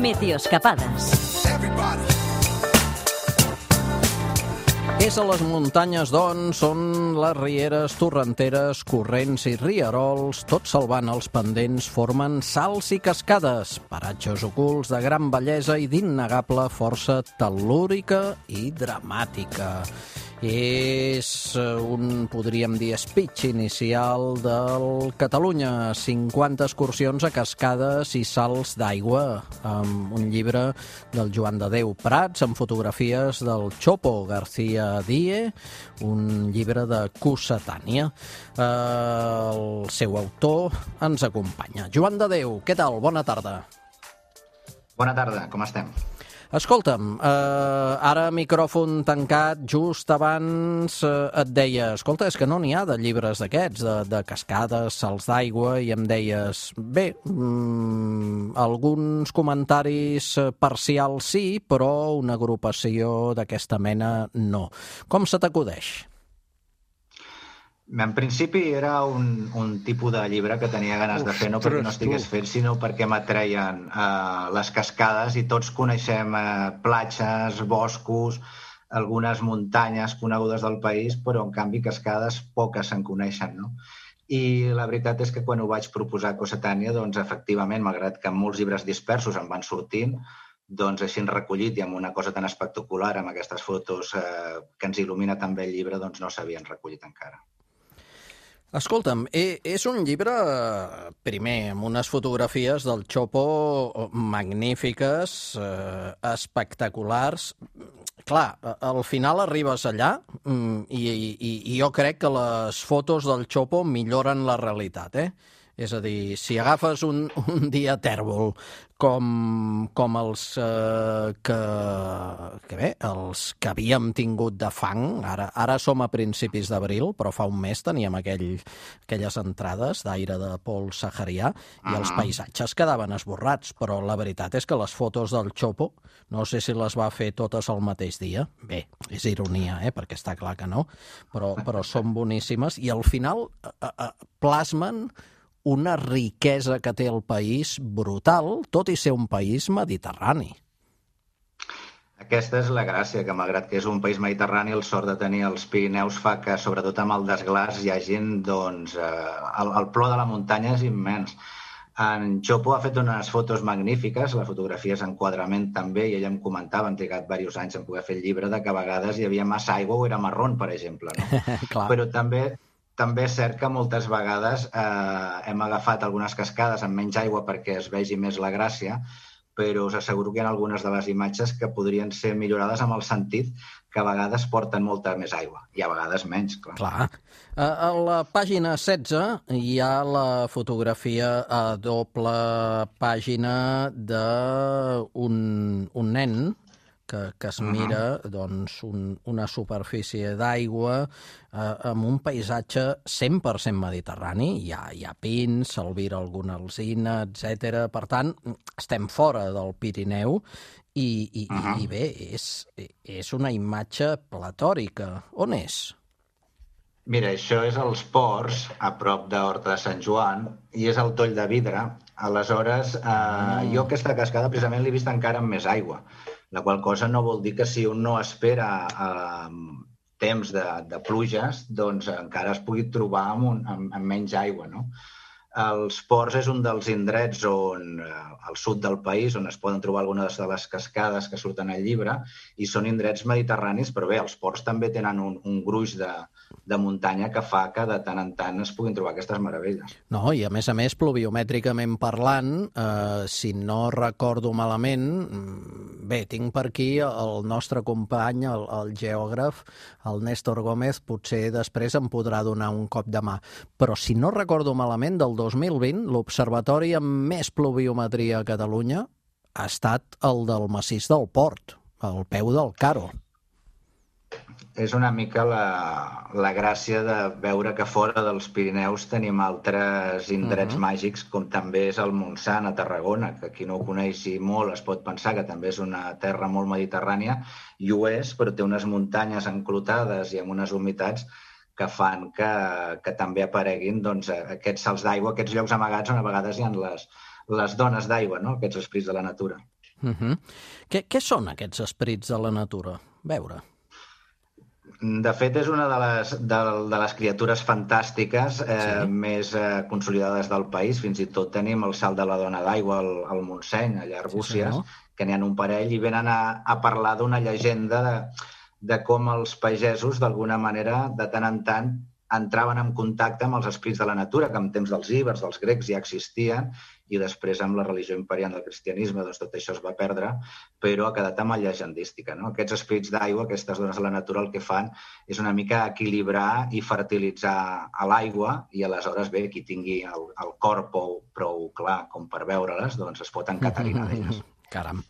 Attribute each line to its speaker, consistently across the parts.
Speaker 1: Meteoscapades.
Speaker 2: És a les muntanyes, doncs, on les rieres, torrenteres, corrents i rierols, tot salvant els pendents, formen salts i cascades, paratges ocults de gran bellesa i d'innegable força tel·lúrica i dramàtica. És podríem dir, speech inicial del Catalunya, 50 excursions a cascades i salts d'aigua, amb un llibre del Joan de Déu Prats, amb fotografies del Chopo García Die, un llibre de Cossetània. El seu autor ens acompanya. Joan de Déu, què tal? Bona tarda.
Speaker 3: Bona tarda, com estem?
Speaker 2: Escolta'm, ara micròfon tancat, just abans et deia, escolta, és que no n'hi ha de llibres d'aquests, de cascades, salts d'aigua, i em deies, bé, alguns comentaris parcials sí, però una agrupació d'aquesta mena no. Com se t'acudeix?
Speaker 3: En principi era un tipus de llibre que tenia ganes de fer, no perquè no estigués fet, sinó perquè m'atreien les cascades, i tots coneixem platges, boscos, algunes muntanyes conegudes del país, però en canvi cascades poques se'n coneixen, no? I la veritat és que quan ho vaig proposar a Cossetània, doncs efectivament, malgrat que molts llibres dispersos em van sortint, doncs així recollit i amb una cosa tan espectacular, amb aquestes fotos que ens il·lumina també el llibre, doncs no s'havien recollit encara.
Speaker 2: Escolta'm, és un llibre, primer, amb unes fotografies del Chopo magnífiques, espectaculars. Clar, al final arribes allà i jo crec que les fotos del Chopo milloren la realitat, És a dir, si agafes un dia tèrbol com els els que havíem tingut de fang, ara som a principis d'abril, però fa un mes teníem aquelles entrades d'aire de pols saharià i els paisatges quedaven esborrats, però la veritat és que les fotos del Chopo, no sé si les va fer totes el mateix dia, bé, és ironia, perquè està clar que no, però són boníssimes i al final plasmen una riquesa que té el país brutal, tot i ser un país mediterrani.
Speaker 3: Aquesta és la gràcia, que malgrat que és un país mediterrani, el sort de tenir els Pirineus fa que, sobretot amb el desglàs, hi hagi, doncs, el plor de la muntanya és immens. En Chopo ha fet unes fotos magnífiques, la fotografia és enquadrament també, i ella em comentava, han trigat diversos anys en poder fer el llibre, de que a vegades hi havia massa aigua o era marrón, per exemple, no? Però també és cert que moltes vegades hem agafat algunes cascades amb menys aigua perquè es vegi més la gràcia, però us asseguro que hi ha algunes de les imatges que podrien ser millorades amb el sentit que a vegades porten molta més aigua, i a vegades menys, clar.
Speaker 2: Clar. A la pàgina 16 hi ha la fotografia a doble pàgina d'un nen que es mira doncs, una superfície d'aigua amb un paisatge 100% mediterrani. Hi ha pins, s'albira alguna alzina, etc. Per tant, estem fora del Pirineu i bé, és una imatge platòrica. On és?
Speaker 3: Mira, això és als Ports, a prop d'Horta de Sant Joan, i és el Toll de Vidre. Aleshores, jo aquesta cascada precisament l'he vist encara amb més aigua, la qual cosa no vol dir que si un no espera temps de pluges, doncs encara es pugui trobar amb menys aigua, no? Els Ports és un dels indrets al sud del país on es poden trobar algunes de les cascades que surten al llibre, i són indrets mediterranis, però bé, els Ports també tenen un gruix de muntanya que fa que de tant en tant es puguin trobar aquestes meravelles.
Speaker 2: No, i a més, pluviomètricament parlant, si no recordo malament, bé, tinc per aquí el nostre company, el geògraf, el Néstor Gómez, potser després em podrà donar un cop de mà, però si no recordo malament, del 2020, l'observatori amb més pluviometria a Catalunya ha estat el del massís del Port, al peu del Caro.
Speaker 3: És una mica la gràcia de veure que fora dels Pirineus tenim altres indrets màgics, com també és el Montsant, a Tarragona, que qui no ho coneixi molt es pot pensar que també és una terra molt mediterrània, i ho és, però té unes muntanyes enclotades i amb unes humitats que fan que també apareguin doncs, aquests salts d'aigua, aquests llocs amagats on a vegades hi ha les dones d'aigua, no? Aquests esprits de la natura.
Speaker 2: Què són aquests esperits de la natura? Veure.
Speaker 3: De fet, és una de les criatures fantàstiques més consolidades del país. Fins i tot tenim el salt de la dona d'aigua al Montseny, allà a Arbúcies, que n'hi ha un parell i venen a parlar d'una llegenda de com els pagesos, d'alguna manera, de tant en tant, entraven en contacte amb els esprits de la natura, que en temps dels íbers, dels grecs, ja existien, i després amb la religió imperial del cristianisme doncs tot això es va perdre, però ha quedat amb la llegendística. No? Aquests esprits d'aigua, aquestes dones de la natura, el que fan és una mica equilibrar i fertilitzar a l'aigua i aleshores, bé, qui tingui el cor prou clar com per veure-les, doncs es pot encatarinar d'elles.
Speaker 2: Caram.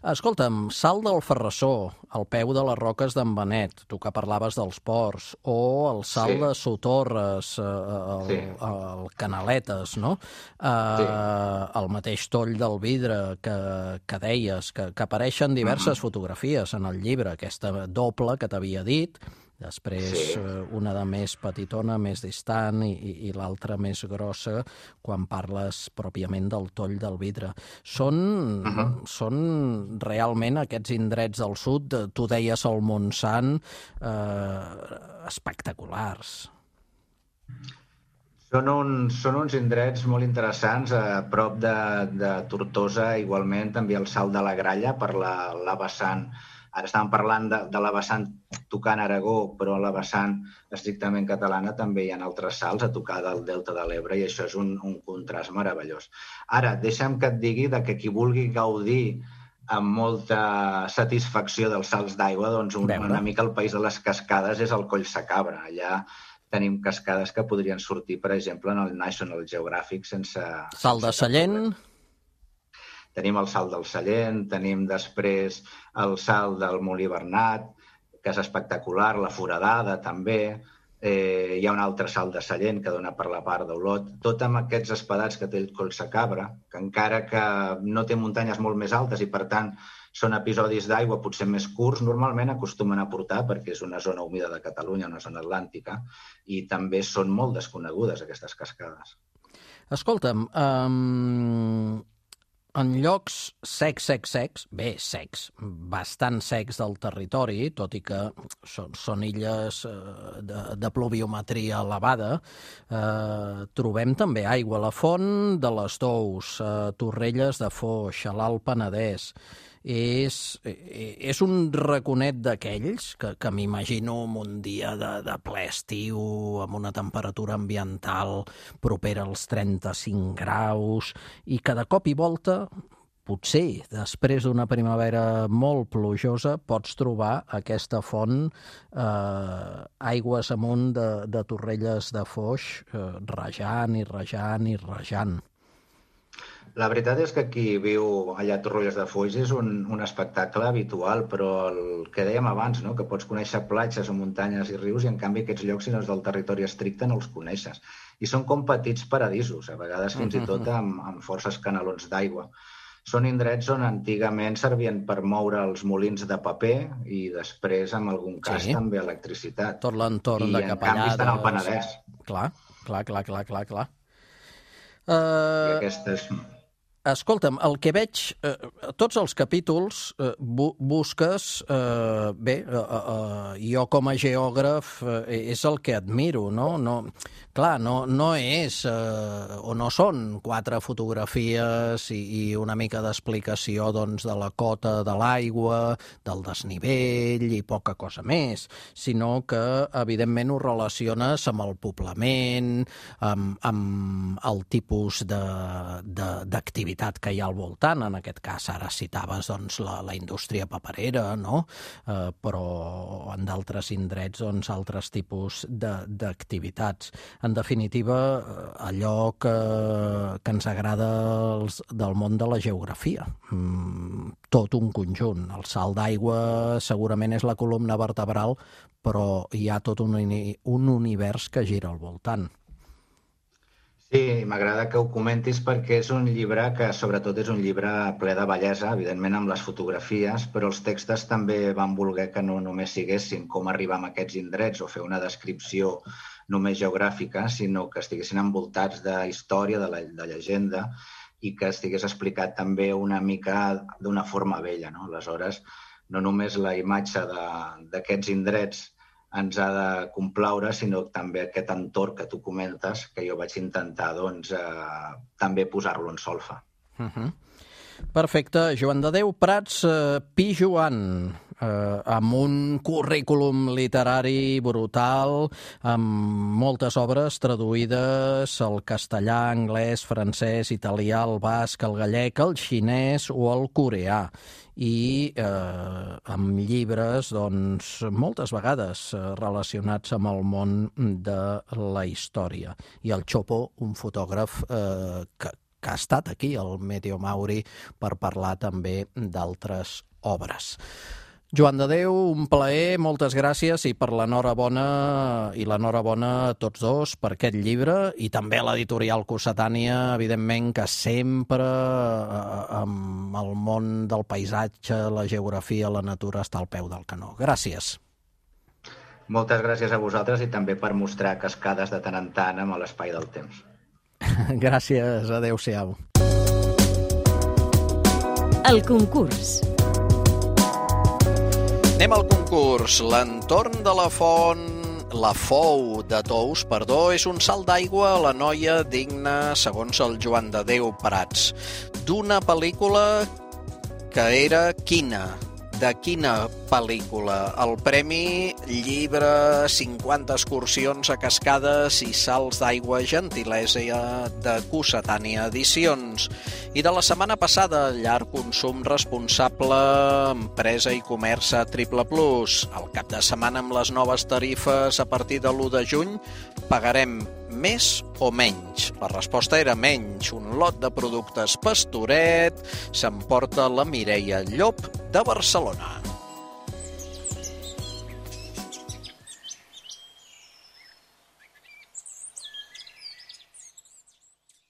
Speaker 2: Escolta'm, Salt del Ferrassó, al peu de les roques d'en Benet, tu que parlaves dels ports, o el Salt de Sotorres, el Canaletes, no? El mateix Toll del Vidre que deies, que apareixen diverses fotografies en el llibre, aquesta doble que t'havia dit, després una de més petitona, més distant, i l'altra més grossa, quan parles pròpiament del Toll del Vidre. Són realment aquests indrets del sud, tu deies el Montsant, espectaculars.
Speaker 3: Són uns indrets molt interessants, a prop de Tortosa, igualment, també el Salt de la Gralla, per la vessant. Ara estàvem parlant de la vessant tocant Aragó, però a la vessant estrictament catalana també hi ha altres salts a tocar del Delta de l'Ebre i això és un contrast meravellós. Ara, deixa'm que et digui que qui vulgui gaudir amb molta satisfacció dels salts d'aigua, doncs una mica el país de les cascades és el Coll Sacabra. Allà tenim cascades que podrien sortir, per exemple, en el National Geographic sense...
Speaker 2: Salt de Sallent...
Speaker 3: Tenim el Salt del Sallent, tenim després el Salt del Molí Bernat, que és espectacular, la Foradada també, hi ha un altre Salt de Sallent que dona per la part d'Olot, tot amb aquests espadats que té el Coll Sacabra, que encara que no té muntanyes molt més altes i per tant són episodis d'aigua potser més curts, normalment acostumen a portar perquè és una zona humida de Catalunya, una zona atlàntica, i també són molt desconegudes aquestes cascades.
Speaker 2: Escolta'm, en llocs secs, bastant secs del territori, tot i que són illes de pluviometria elevada, trobem també aigua a la Font de les Tous, Torrelles de Foix, a l'Alt Penedès. És un raconet d'aquells que m'imagino un dia de ple estiu amb una temperatura ambiental propera als 35 graus i que de cop i volta, potser després d'una primavera molt plujosa, pots trobar aquesta font aigües amunt de Torrelles de Foix rajant i rajant i rajant.
Speaker 3: La veritat és que qui viu allà a Torrelles de Foix és un espectacle habitual, però el que dèiem abans, no? Que pots conèixer platges o muntanyes i rius i en canvi aquests llocs, si no és del territori estricte, no els coneixes. I són com petits paradisos, a vegades fins i tot amb forces canalons d'aigua. Són indrets on antigament servien per moure els molins de paper i després, en algun cas, també electricitat.
Speaker 2: Tot l'entorn de Capellades.
Speaker 3: I en canvi estan al Penedès.
Speaker 2: Clar.
Speaker 3: I aquestes...
Speaker 2: Escolta'm, el que veig, tots els capítols busques, jo com a geògraf és el que admiro, no? Clar, no és, o no són 4 fotografies i una mica d'explicació doncs, de la cota de l'aigua, del desnivell i poca cosa més, sinó que evidentment ho relaciones amb el poblament, amb el tipus d'activitat que hi ha al voltant. En aquest cas ara citaves doncs, la indústria paperera, no? Però en d'altres indrets doncs, altres tipus d'activitats. En definitiva, allò que ens agrada del món de la geografia. Tot un conjunt. El salt d'aigua segurament és la columna vertebral, però hi ha tot un univers que gira al voltant.
Speaker 3: Sí, m'agrada que ho comentis perquè és un llibre que sobretot és un llibre ple de bellesa, evidentment amb les fotografies, però els textos també van voler que no només siguessin com arribar a aquests indrets o fer una descripció només geogràfica, sinó que estiguessin envoltats de història, de llegenda, i que estigués explicat també una mica d'una forma vella, no? Aleshores, no només la imatge d'aquests indrets ens ha de complaure, sinó també aquest entorn que tu comentes, que jo vaig intentar també posar-lo en solfa.
Speaker 2: Perfecte. Joan de Déu Prats Pijoan, amb un currículum literari brutal, amb moltes obres traduïdes al castellà, anglès, francès, italià, el basc, el gallec, el xinès o el coreà. I amb llibres, doncs, moltes vegades relacionats amb el món de la història. I el Chopo, un fotògraf que ha estat aquí, al Meteo Mauri, per parlar també d'altres obres. Joan de Déu, un plaer, moltes gràcies i per l'enhorabona a tots dos per aquest llibre i també a l'editorial Cossetània, evidentment, que sempre amb el món del paisatge, la geografia, la natura està al peu del canó. Gràcies.
Speaker 3: Moltes gràcies a vosaltres i també per mostrar cascades de tant en tant amb l'espai del temps.
Speaker 2: Gràcies, adéu-siau.
Speaker 1: El concurs.
Speaker 2: Anem al concurs. L'entorn de la Fou de Tous, és un salt d'aigua a la noia digna, segons el Joan de Déu Prats, d'una pel·lícula que era quina? De quina pel·lícula? El premi llibre 50 excursions a cascades i salts d'aigua, gentilesa de Cossetània Edicions. I de la setmana passada, llar consum responsable, empresa i comerç a Triple Plus. El cap de setmana amb les noves tarifes a partir de l'1 de juny pagarem més o menys? La resposta era menys. Un lot de productes Pastoret s'emporta la Mireia Llop de Barcelona.